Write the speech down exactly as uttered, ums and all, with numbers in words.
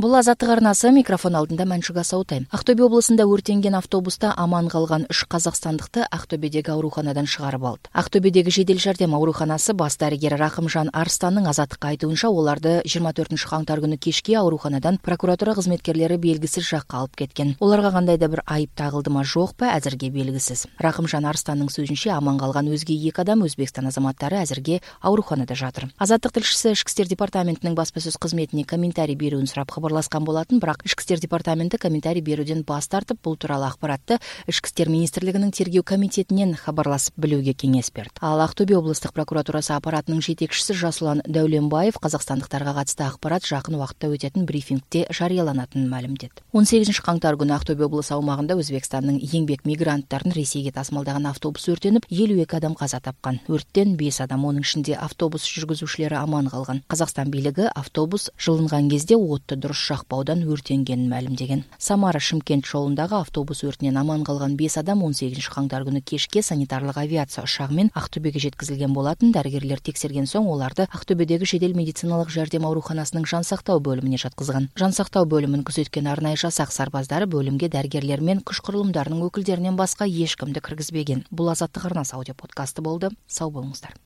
Бул Азаттык арнасы, микрофон алдында Маншуга Саутай. Актөбе облусунда өртенген автобуста аман калган үч казакстандыкты Актөбедеги ооруканадан чыгарып алды. Актөбедеги жедел жардам ооруканасы бас дарыгери Рахымжан Арстанның Азаттыкка айтуунча, оларды жыйырма төртүнчү каңтар күнү кечки ооруканадан прокуратура кызметкерлери белгисиз жакка алып кеткен. Оларга кандай да бир айып тагылдымы жокпу, азырге белгисиз. Рахымжан Арстанның сөзүнчө, аман калган өзге эки адам Өзбекстан азаматтары азырге ооруканада жатыр. Азаттык тилшиси Ички иштер департаментинин баспа сөз кызметине комментарий берүүнү сурап кабарласкан болатын, бирок Ички иштер департаменти комментарий берүүдөн бас тартып, бул тууралуу акпаратты Ички иштер министрлигинин тергөө комитетинен кабарласып билүүгө кеңеш берди. Ал Актөбе облустук прокуратурасы аппаратынын жетекчиси Жасулан Даулембаев казакстандыктарга катысты акпарат жакын убакытта өтөтүн брифингде жарыяланатынын маалимдеди. он сегизинчи каңтар күнү Актөбе облусу аумагында Өзбекстандын еңбек мигранттарын Ресейге тасмалдаган автобус өртөнүп, элүү эки адам каза тапкан. Өрттөн беш адам, анын ичинде автобус жүргүзүүчүлөрү аман калган. Казакстан бийлиги автобус жылынган кезде отту дурус жакпаудан өртөнгөнүн маалимдеген. Самара Шымкент жолундагы автобус өртүнөн аман калган беш адам он сегизинчи каңтар күнү кечке санитарлык авиация учагы менен Актөбөгө жеткизилген болатын. Дарыгерлер текшерген соң оларды Актөбөдөгү жедел медициналык жардам ооруканасынын жан сактоо бөлүмүнө жаткызган. Жан сактоо бөлүмүн күзөткөн арнайы жасак сарбаздары бөлүмгө дарыгерлер менен күч курулумдарынын өкүлдөрүнөн башка эч кимди киргизбеген. Бул Азаттык арнасы аудио подкасты болду. Сау болуңуздар.